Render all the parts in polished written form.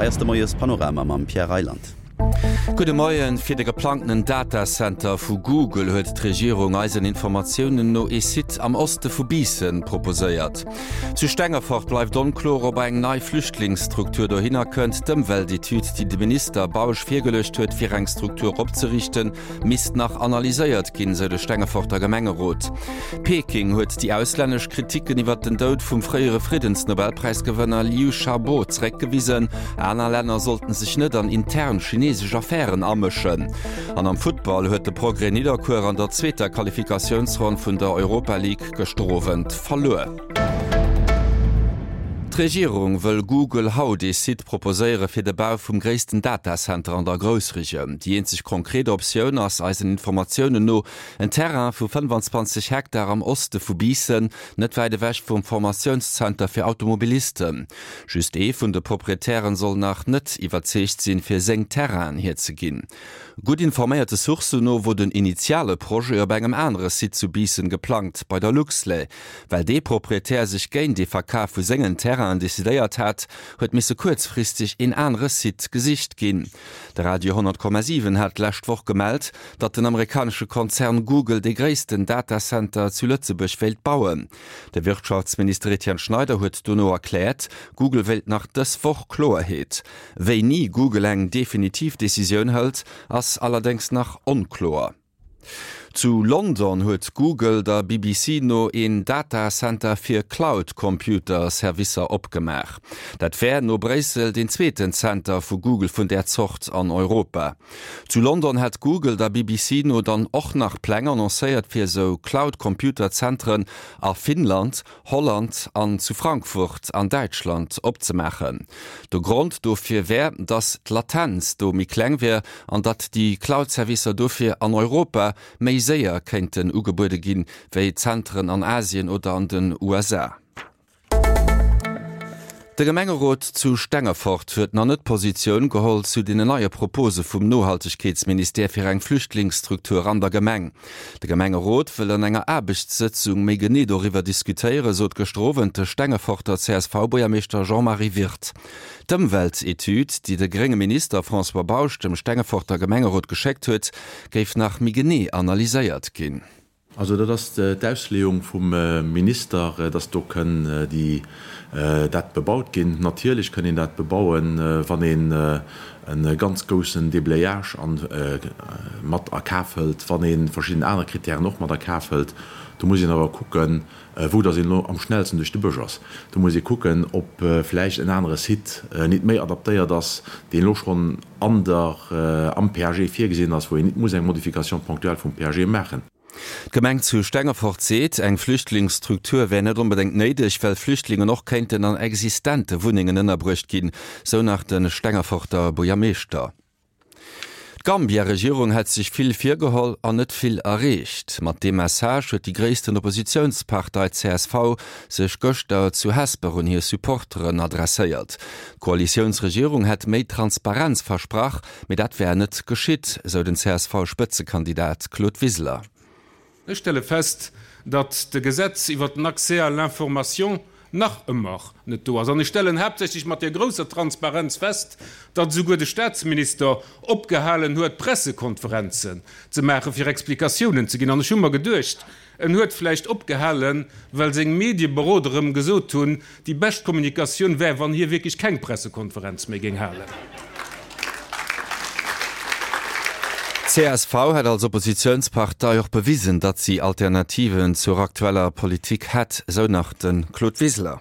Hei ass de Moies Panorama mam Pierre Reyland. Gudde Moien. Fir de geplangtenen Datacenter vu Google huet d'Regierung eisen Informatiounen no ee Site am Oste vu Biissen proposéiert. Zu Stengefort bleift onkloer, ob eng nei Flüchtlingsstruktur dohinner kënnt. D'Ëmweltetüd, déi de Minister Bausch virgeluecht huet, fir eng Struktur opzeriichten, misst nach analyséiert ginn, sou de Stengeforter Gemengerot. Peking huet déi auslännesch Kriticken iwwer den Doud vum fréiere Friddensnobelpräisgewënner Liu Xiaobo zeréckgewisen. Aner Länner sollten sech net an intern chinesesch Affären amëschen. An am Futtball huet de Progrès Nidderkuer an der zweeter Qualifikatiounsronn vun der Europa League gëschter Owend verluer. D'Regierung wëll Google haut ee Site proposéiere fir de Bau vum gréissten Datacenter an der Groussregioun. Déi eenzeg konkret Optioun ass eisen Informatiounen no en Terrain vu 25 Hektar am Oste vu Biissen, net wäit ewech vum Formatiounszenter fir Automobilisten. Just ee vun de Proprietären soll nach net iwwerzeegt sinn, fir seng Terrainen hierzeginn. Gutt informéierte Sourcen no wor den initiale Projet op engem anere Site zu Biissen geplangt, bei der Luxlait. Well dee Proprietär sech géint ee Verkaf vu sengen Terrainen decidéiert hat, huet misse kuerzfristeg een anere Site gesicht ginn. De Radio 100,7 hat d'lescht Woch gemellt, datt den amerikanesche Konzern Google dee gréissten Datacenter zu Lëtzebuerg wéilt bauen. De Wirtschaftsminister Etienne Schneider huet dono erkläert, Google wéilt nach dës Woch Kloerheet. Wéini Google eng definitiv Decisioun hëlt, ass allerdéngs nach onkloer. Zu London huet Google der BBC no een Datacenter fir Cloud-Computer-Servicer opgemaach. Dat wär no Bréissel deen zweeten Zenter vu Google vun där Zort an Europa. Zu London hätt Google der BBC no dann och nach Pläng annoncéiert fir esou Cloud-Computer-Zentren a Finnland, Holland an zu Frankfurt an Däitschland opzemaachen. De Grond dofir wär, datt d'Latenz do méi kleng wär an datt déi Cloud-Servicer dofir an Europa méi séier kéinten ugebuede ginn, wéi Zentren an Asien oder an den USA. De Gemengerot zu Stengefort huet nach net Positioun geholl zu den neie Propose vum Nohaltegkeetsministère fir eng Flüchtlingsstruktur an der Gemeng. De Gemengerot wëll an enger Aarbechtssëtzung méi genee doriwwer diskutéieren, sot gëschter Owend de Stengeforter CSV-Buergermeeschter Jean-Marie Wirth. D'Ëmweltetüd, déi de grénge Minister François Bausch dem Stengeforter Gemengerot geschéckt huet, géif nach méi genee analyséiert ginn. Also dat ass d'Ausleeung vum Minister, dass do kënn déi dat bebaut ginn. Natierlech kënn een dat bebauen, wann een e ganz goussen Déblayage mat a Kaf hëlt, wann ee verschidden aner Kritären och mat a Kaf hëlt. Do muss een awer kucken, wou dass een elo am schnellsten duerch de Bësch ass. Do muss ee kucken, ob vläicht en anere Site nit méi adaptéiert ass, deen elo schonn an der, am PAG virgesinn ass, wou een nit muss eng Modification ponctuelle vum PAG maachen. D'Gemeng zu Stengefort seet, eng Flüchtlingsstruktur wär net onbedéngt néideg, well Flüchtlingen och kéinten an existente Wunnengen ënnerbruecht ginn, sou nach de Stengeforter Buergermeeschter. D'Gambia-Regierung hätt sech vill virgeholl an net vill erreecht. Mat deem Message huet déi gréissten Oppositiounspartei csv sech gëschter zu Hesper un hir Supporteren adresséiert. D'Koalitiounsregierung hätt méi Transparenz versprach, mee dat wär net geschitt, sou den CSV-Spëtzekandidat Claude Wiseler. Ech stelle fest, datt de Gesetz iwwert den Accès à l'information nach ëmmer net do ass. An ech stellen haaptsächlech mat där grousser Transparenz fest, datt esouguer de Statsminister opgehalen huet, Pressekonferenzen ze maachen, fir Explikatiounen ze ginn. An ech hu mer geduecht, En huet vläicht opgehalen, well seng Medieberoder em gesot hunn, déi bescht Kommunikatioun wär, wann hie wierklech keng Pressekonferenz méi géing halen. D'CSV hätt als Oppositiounspartei och bewisen, datt si Alternativen zur aktueller Politik hätt, sou nach de Claude Wiseler.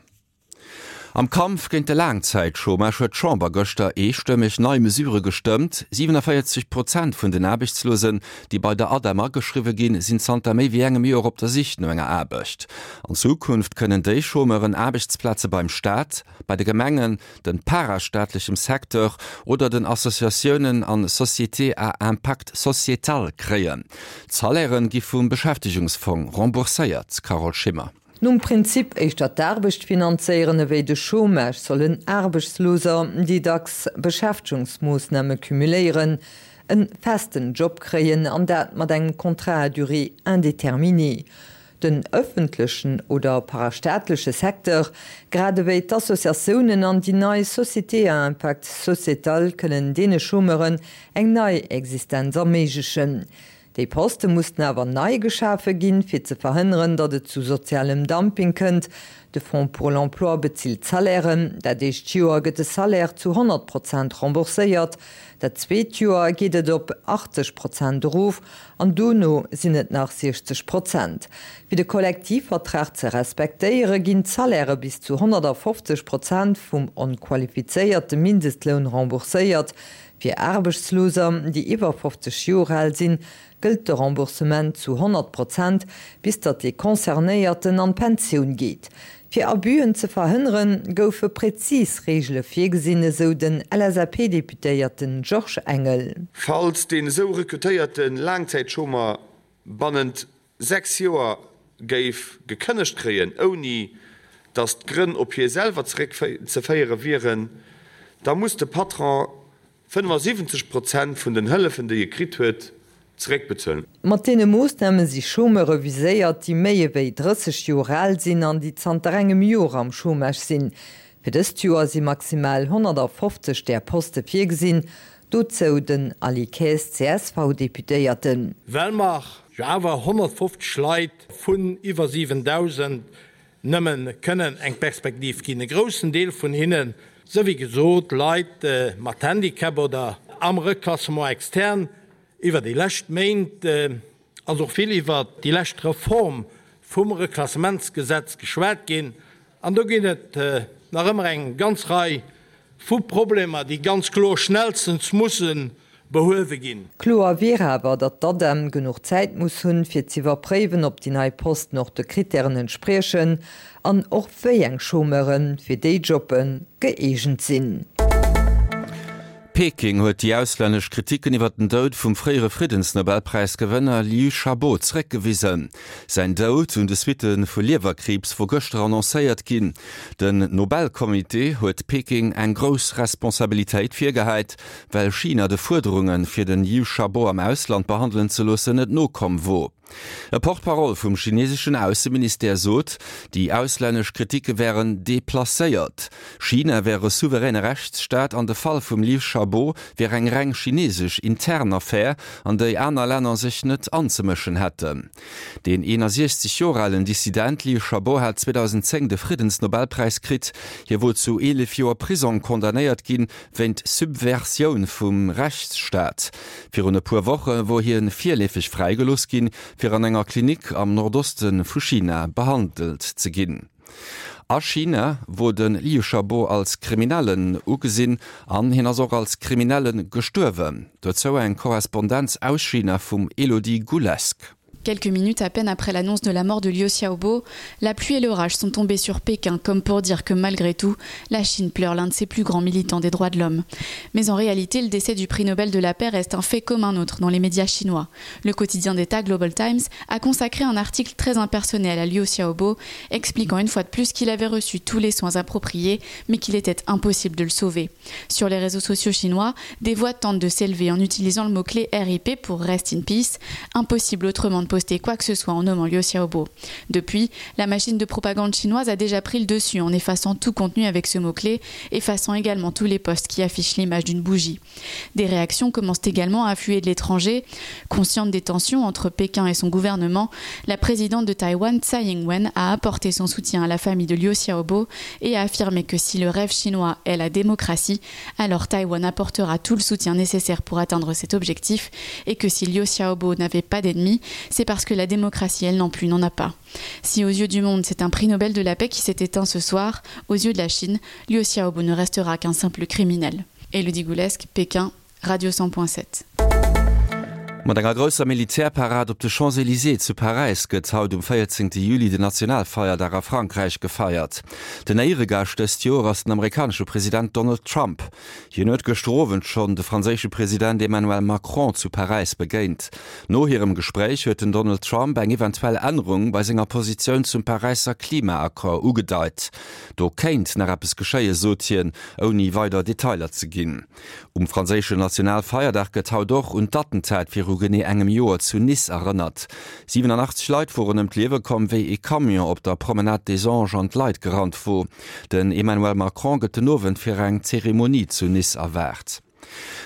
Am Kampf géint de Laangzäitchômage huet d'Chamber gëschter eestëmmeg nei Mesurë gestëmmt. 47 Prozent vun den Aarbechtslosen, déi bei der ADEM ageschriwwe ginn, sinn zanter méi wéi engem Joer op der Sich no enger Aarbecht. An Zukunft kënnen déi Chômeuren Aarbechtsplaze beim Staat, bei de Gemengen, dem parastaatlechem Secteur oder den Associatiounen an Sociétés à impact sociétal kréien. D'Salairen gi vum Beschäftegungsfong rembourséiert. Carole Schimmer. Nom Prinzip éischter d'Aarbecht finanzéieren ewéi de Chômage sollen Aarbechtsloser, déi dacks Beschäftegungsmoossname cumuléieren, en festen Job kréien, an dat mat engem Contrat à durée indéterminée. Den ëffentlechen oder parastaatleche Secteur, grad ewéi d'Associatiounen an déi nei Sociétés à impact sociétal kënnen deene Chômeuren eng nei Existenz erméiglechen. Déi Poste mussten awer nei geschafe ginn, fir ze verhënneren, datt et zu sozialem Dumping kënnt. De Fonds pour l'emploi bezilt d'Salairen. Dat éischt Joer gëtt de Salaire zu 100 Prozent rembourséiert, dat zweet Joer geet et op 80 Prozent erof an dono sinn et nach 60 Prozent. Fir de Kollektivvertrag ze respektéiere ginn d'Salairë bis zu 150 Prozent vum onqualifizéierte Mindestloun rembourséiert. Fir Aarbechtsloser, déi iwwer 50 Joer al sinn, gëllt de Remboursement zu 100 Prozent, bis datt dee Concernéierten an d'Pensioun geet. Fir Abüen ze verhënneren, goufe präzis Reegele virgesinn, esou den LSAP-Deputéierten Georges Engel. Falls deen esou rekrutéierte Laangzäitchômer bannent 6 Joer géif gekënnegt kréien, ouni datt d'Grënn op hie selwer zeréckzeféiere wieren, da muss de Patron 75 Prozent vun den Hëllefen, déi e kritt huet, zeréckbezuelen. Mat deene Moossname si Chômeure viséiert, déi méi ewéi 30 Joer al sinn an déi zanter engem Joer am Chômage sinn. Fir dëst Joer si maximal 150 där Poste virgesinn. Dozou den Aly Kaes, CSV-Deputéierten. Well mer jo awer 150 Leit vun iwwer 7.000 nëmme kënnen eng Perspektiv ginn, e groussen Deel vun hinnen, sou wéi gesot, Leit mat Handicap oder am Reclassement externe. Iwwer déi lescht Méint ass och vill iwwert déi lescht Reform vum Reklassementsgesetz geschwat ginn an do ginn et nach ëmmer eng ganz Rei vu Problemer, déi ganz kloer schnellstens musse behuewe ginn. Kloer wier awer, datt d'ADEM genuch Zäit muss hunn, fir z'iwwerpréiwen, ob déi nei Posten och de Krittären entspriechen an och wéi eng Chômeure fir déi Jobbe gëeegent sinn. Peking huet déi auslännesch Kriticken iwwer den Doud vum fréiere Friddensnobelpräisgewënner Liu Xiaobo zeréckgewisen. Säin Doud un de Suitte vu Liewerkriibs wor gëschter annoncéiert ginn. Den Nobelcomité huet Peking eng grouss Responsabilitéit virgehäit, well China de Fuerderunge fir den Liu Xiaobo am Ausland behandelen ze loossen net nokomm wor. E Porte-parole vum chineseschen Ausseministère sot, déi auslännesch Kritike wären deplacéiert. China wär e souveräne Rechtsstaat an de Fall vum Liu Xiaobo wär eng reng chinesesch intern Affär, an déi aner Länner sech net anzemëschen hätten. Deen 61 Joer alen Dissident Liu Xiaobo hat 2010 de Friddensnobelpräis kritt. Hie wor zu 11 Joer Prisong condamnéiert ginn, wéint Subversioun vum Rechtsstaat. Virun e puer Woche wor hie virleefeg fräigelooss ginn, fir an enger Klinik am Nordoste vu China behandelt ze ginn. A China wor de Liu Xiaobo als Kriminellen ugesinn an hien ass och als Kriminelle gestuerwen. Dozou eng Korrespondenz aus China vum Elodie Goulesque. Quelques minutes à peine après l'annonce de la mort de Liu Xiaobo, la pluie et l'orage sont tombés sur Pékin comme pour dire que malgré tout, la Chine pleure l'un de ses plus grands militants des droits de l'homme. Mais en réalité, le décès du prix Nobel de la paix reste un fait comme un autre dans les médias chinois. Le quotidien d'État Global Times a consacré un article très impersonnel à Liu Xiaobo, expliquant une fois de plus qu'il avait reçu tous les soins appropriés, mais qu'il était impossible de le sauver. Sur les réseaux sociaux chinois, des voix tentent de s'élever en utilisant le mot-clé RIP pour Rest in Peace, impossible autrement de poster quoi que ce soit en nommant Liu Xiaobo. Depuis, la machine de propagande chinoise a déjà pris le dessus en effaçant tout contenu avec ce mot-clé, effaçant également tous les posts qui affichent l'image d'une bougie. Des réactions commencent également à affluer de l'étranger. Consciente des tensions entre Pékin et son gouvernement, la présidente de Taïwan Tsai Ing-wen a apporté son soutien à la famille de Liu Xiaobo et a affirmé que si le rêve chinois est la démocratie, alors Taïwan apportera tout le soutien nécessaire pour atteindre cet objectif et que si Liu Xiaobo n'avait pas d'ennemis, c'est parce que la démocratie elle non plus n'en a pas. Si aux yeux du monde c'est un prix Nobel de la paix qui s'est éteint ce soir, aux yeux de la Chine, Liu Xiaobo ne restera qu'un simple criminel. Elodie Goulesque, Pékin, Radio 100.7. Mat enger grousser Militärparad op de Champs-Elysées zu Paräis gëtt haut um 14 Juli den Nationalfeierdag a Frankräich gefeiert. Den Éieregaascht dëst Joer ass den amerikanesche President Donald Trump. Hien huet gëschter Owend schonn de franséische President Emmanuel Macron zu Paräis begéint. No hirem Gespréich huet den Donald Trump eng eventuell Ännerung bei senger Positioun zum Paräisser Klimaaccord ugedeit. Do kéint nach eppes geschéien, sot hien, ouni weider Detailer ze ginn. Um franséischen Nationalfeierdag gëtt haut och un d'Attentat viru. genee engem Joer zu Nice erënnert. 87 Leit woren ëm d'Liewe komm, wéi ee Camion op der Promenade des Anges an d'Leit gerannt wor. Den Emmanuel Macron gëtt den Owend fir eng Zeremonie zu Nice erwaart.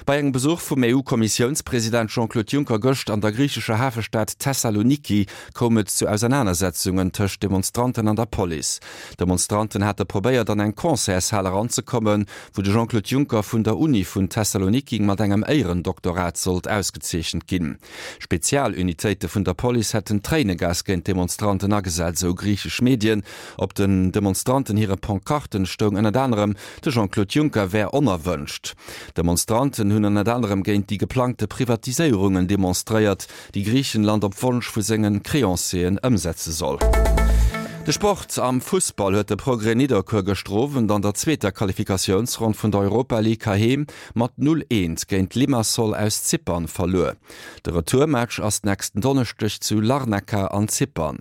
Bei engem Besuch vum EU-Kommissiounspresident Jean-Claude Juncker gëscht an der griichescher Hafestad Thessaloniki koum et zu Ausernanersetzungen tëscht Demonstranten an der Police. Demonstranten hate probéiert an eng Concertshal eranzekommen, wou de Jean-Claude Juncker vun der Uni vun Thessaloniki mat engem Éierendoktorat sollt ausgezeechent ginn. Spezialunitéite vun der Police hätten Tréinegas géint d'Demonstranten agesat, esou griichesch Medien. Op den Demonstranten hire Pancarten stoung ënnert anerem, de Jean-Claude Juncker wär onerwënscht. D'Demonstranten hunn ënnert anerem géint déi geplangte Privatiséierungen demonstréiert, déi Griichenland op Wonsch vu senge Creancieren ëmsetze soll. De Sport, Am Fussball huet de Progrès Nidderkuer gëschter Owend an der zweeter Qualifikatiounsronn vun der Europa League heiheem mat 0, 1 géint Limassol aus Zypern verluer. De Retourmatch ass nächsten Donneschdeg zu Larnaca an Zypern.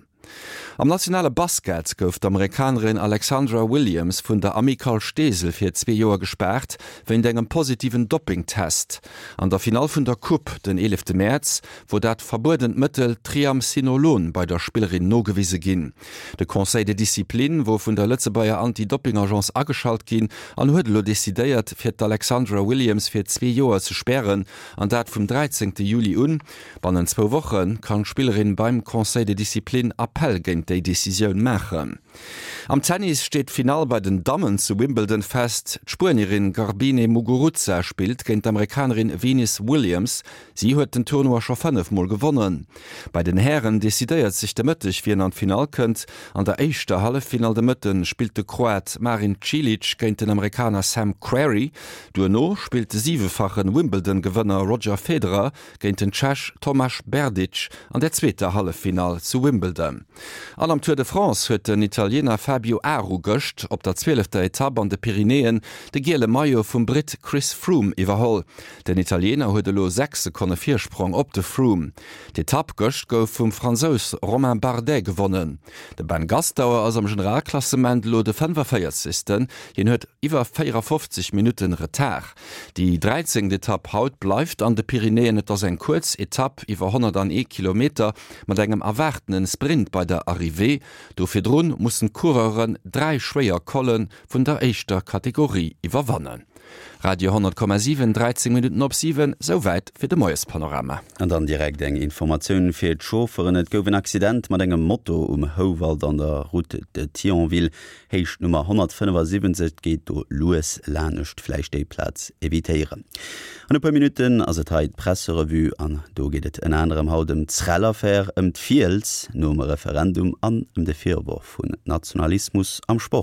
Am nationale Basket gouf d'Amerikanerin Alexandra Williams vun der Amicale Steesel fir zwee Joer gespaart, wéint engem positiven Doppingtest. An der Finall vun der Coupe den eelefte Mäerz wor dat verbuedent Mëttel Triamcinolon bei der Spillerin nogewise ginn. De Conseil de discipline wor vun der Lëtzebuerger Anti-Dopping-Agence ageschalt ginn an huet elo decidéiert, fir d'Alexandra Williams fir zwee Joer ze spären, an dat vum 13 Juli un. Bannent zwou Woche kann d'Spillerin beim Conseil de discipline Appell géint déi Decisioun maachen. Am Tennis steet d'Finall bei den Dammen zu Wimbledon fest. D'Spuenierin Garbine Muguruza spillt géint d'Amerikanerin Venus Williams. Si huet den Tournoi scho 5 Mol gewonnen. Bei den Hären decidéiert sech de Mëtteg, wien an d'Finall kënnt. An der éischter Halleffinall de Mëtte spillt de Kroat Marin Cilic géint den Amerikaner Sam Querrey. Duerno spillt de siwefache Wimbledon-Gewënner Roger Federer géint den Tschech Tomáš Berdych an der zweeter Halleffinall zu Wimbledon. An am Tour de France huet den Italiener Fabio Aru gëscht op der zwielefter Etapp an de Pyrenäen de giele Maillot vum Britt Chris Froome iwwerholl. Den Italiener huet elo 6 Sekonne Virsprong op de Froome. D'Etapp gëscht gouf vum Fransous Romain Bardet gewonnen. De Ben Gastauer ass am Generalklassement elo de 45. Hien huet iwwer 54 Minutten Retard. Déi dräizéngt Etapp haut bleift an de Pyrenäen. Et ass eng kuerz Etapp iwwer 101 Kilometer mat engem erwaartene Sprint bei der Arrivée. Do virdrun mussen d'Coureuren 3 schwéier Colle vun der éischter Kategorie iwwerwannen. Radio 10,7, 13 Minutten op 7, souwäit fir de Moiespanorama. An dann direkt eng Informatioun fir d'Chaufferen, Et gouf en Accident mat engem Moto um Houwald an der Route de Thionville. Héicht Nummer 175, et geet do lues lanescht, vläicht déi Plaz evitéieren. An e puer Minutten ass et hei d'Presserevue an do geet et ënner anerem haut ëm d'Srel-Affär, ëm d'Fiels nom Referendum an ëm de Virworf vun Nationalismus am Sport.